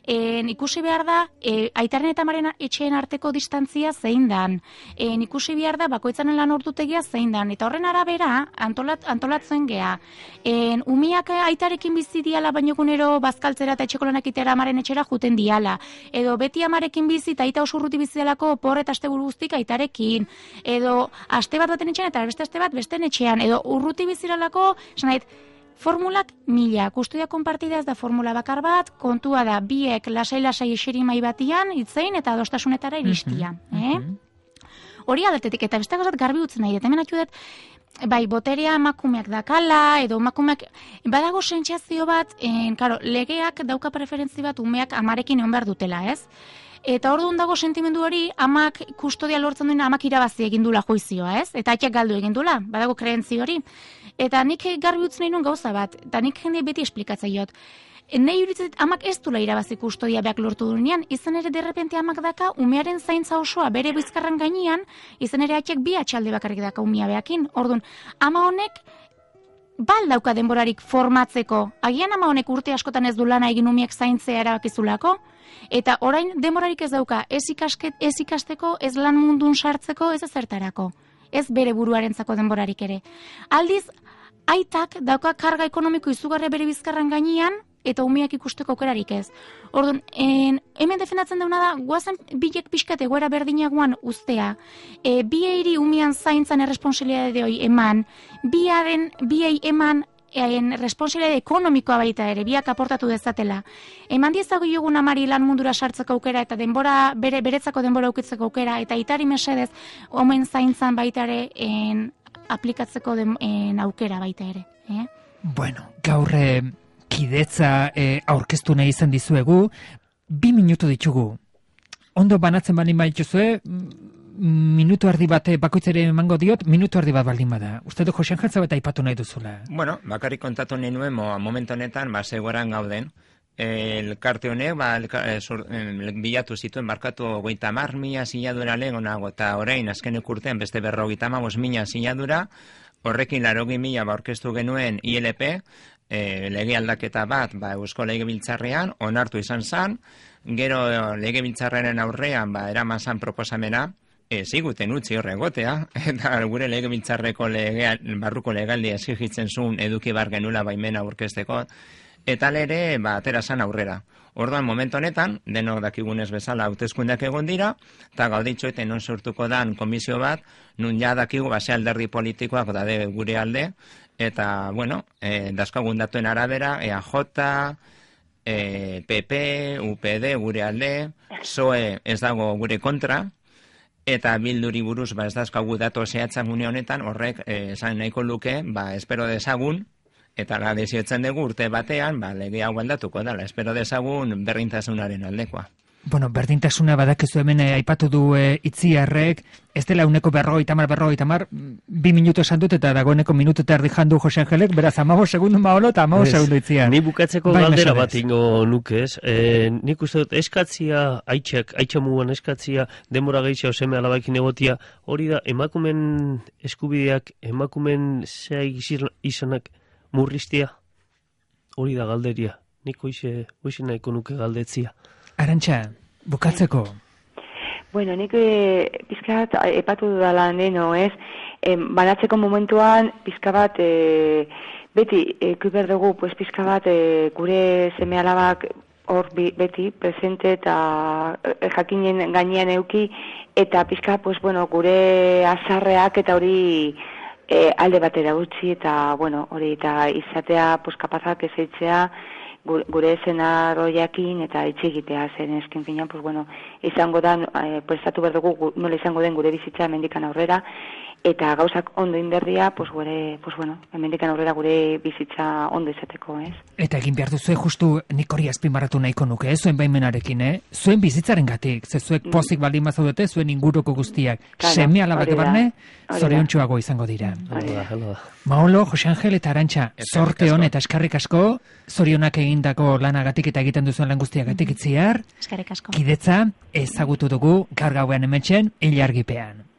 En, ikusi behar da, e, aitaren eta amaren etxeen arteko distantzia zein dan. En, ikusi behar da, bakoitzanen lan ordutegia zein dan. Eta horren arabera, antolat, antolatzen gea. En, umiak aitarekin bizi diala, baino gunero bazkaltzera eta etxeko lanak itera amaren etxera juten diala. Edo beti amarekin bizi eta aita oso urruti bizi delako por eta asteburu guztik aitarekin. Edo aste bat baten etxean eta beste aste bat besten etxean. Edo urruti biziralako, esan nahit, Formulak mila, kustodia konpartida ez da formula bakar bat, kontua da biek lasai-lasai eserimai batian, itzein eta adostasunetara iristia. Mhm, eh? Hori aldetetik, eta beste gauzat garbi utzen nahi, eta hemen atxu dut, bai, boterea emakumeak dakala, edo emakumeak, badago sentsazio bat, en, karo, legeak dauka preferentzi bat umeak amarekin egon behar dutela, ez? Eta orduan dago sentimendu hori, amak kustodia lortzen duena amak irabazi egin dula juizioa, ez? Eta aitak galdu egin dula, badago kreentzi hori. Eta nik garbi utzen nahi nuen gauza bat, eta nik jende beti esplikatzaiot. Nei uritzet amak ez dula irabazi kustodia beak lortu duenean, izan ere derrepente amak daka umearen zaintza osoa bere bizkarran gainean, izan ere atxek bi atxalde bakarrik daka umea beakin. Orduan, ama honek bal dauka denborarik formatzeko. Agian ama honek urte askotan ez du lana egin umeak zaintzea erabakizulako, eta orain denborarik ez dauka ez, ikasket, ez ikasteko, ez lan mundun sartzeko, ez ezertarako. Ez bere buruarentzako denborarik ere. Aldiz, aitak dauka karga ekonomiko izugarria bere bizkarran gainean, eta umeak ikusteko aukerarik ez. Orduan, en, hemen defendatzen dauna da, guazen bilek pixkat egoera berdinagoan ustea, e, bieiri umean zaintzan erresponsibilitate hori eman, biaren, biei eman en responsabilitate ekonomikoa baita ere, biak aportatu dezatela. Eman diezago jogun amari lan mundura sartzeko aukera, eta denbora, bere, beretzako denbora aukitzeko aukera, eta itari mesedez, omen zaintzan baita ere, en, aplikatzeko den, en, aukera baita ere. Eh? Bueno, gaur kidetza e, aurkeztu nahi izan dizuegu, bi minutu ditugu. Ondo banatzen baldin badituzue, minutu erdi bat bakoitzere emango diot, minutu erdi bat baldin bada. Uste du Jose Angel bat aipatu nahi duzula? Bueno, bakarrik kontatu nahi nuen, mo, momentu honetan, ba, zegoeran gauden. Elkarte honek, ba, elka, e, sur, e, bilatu zituen, markatu goita mar mila sinadura lehenago, eta orain, azkenek urtean, beste berrogeita hamabos mila sinadura, horrekin larogi mila ba, orkestu genuen I L P, e, lege aldaketa bat, ba, Eusko Legebiltzarrean, onartu izan zen, gero Legebiltzarraren aurrean, ba, eraman zen proposamena, ez iguten utzi horregotea, eta gure Legebiltzarreko legea, barruko legaldia exigitzen zuen eduki bar genula baimena aurkezteko, eta lere, ba, atera zen aurrera. Orduan, momentu honetan, denok dakigunez bezala hauteskundeak egon dira, eta gauditxoeten non sortuko dan komisio bat, nun ja dakigu base alderdi politikoak dade gure alde, eta, bueno, e, dazkagun datuen arabera, E A J, e, P P, U P D gure alde, P S O E ez dago gure kontra, eta Bilduri buruz ba, ez dazkagu dato zehatzak une honetan, horrek e, esan nahiko luke, ba, espero dezagun, eta la desiotzen dugu urte batean, ba, lege hau aldatuko dela, espero dezagun berdintasunaren aldekoa. Bueno, berdintasuna badakizu hemen eh, aipatu du eh, Itziarrek, ez dela uneko berrogeita hamar, berrogeita hamar, bi minutu esan dut eta dagoeneko minutu eta erdi jandu Jose Angelek, beraz amago segundu maolo eta amago segundu Itziar. Ni bukatzeko bai, galdera mesedez. bat ingo nukez. E, nik uste dut eskatzia, aitxak, aitxamuan eskatzia, denbora gehiago seme alabakin egotia, hori da emakumen eskubideak, emakumen zai izanak murriztia, hori da galderia. Nik hoize, hoize nahiko nuke galdetzia. Arantxa, bukatzeko. Bueno, nik e, pizkat epatu dudala neno, ez? E, banatzeko momentuan, pizka bat, e, beti, ekuiber dugu, pues, pizka bat, e, gure seme alabak hor bi, beti, presente eta e, jakinen gainean euki, eta pizka, pues, bueno, gure azarreak eta hori e, alde batera utzi, eta, bueno, hori, eta izatea, pues, kapazak ezeitzea, gure eszenaroiakin eta itxigitea zen esken finean, pues bueno, izango da, eh, prestatu behar dugu nola izango den gure bizitza hemendikan aurrera, eta gauzak ondo inberdia, pues, gure, pues bueno, hemendikan aurrera gure bizitza ondo izateko, ez? Eta egin behar duzue justu nik hori azpimarratu nahiko nuke, eh? Zuen baimenarekin, eh? Zuen bizitzaren gatik, ze zuek pozik baldin bazaudete, zuen inguruko guztiak, claro, seme alabak hori da, barne, hori da. zoriontsuago izango dira. Hala da, hala da. Maolo, Jose Angel eta Arantxa, Eskerrik zorte asko. hon eta eskarrik asko, zorionak egindako lanagatik eta egiten duzuen lan guztiagatik Itziar, Eskerrik asko. kidetza ezagutu dugu gaur gauean hementxen ilargipean.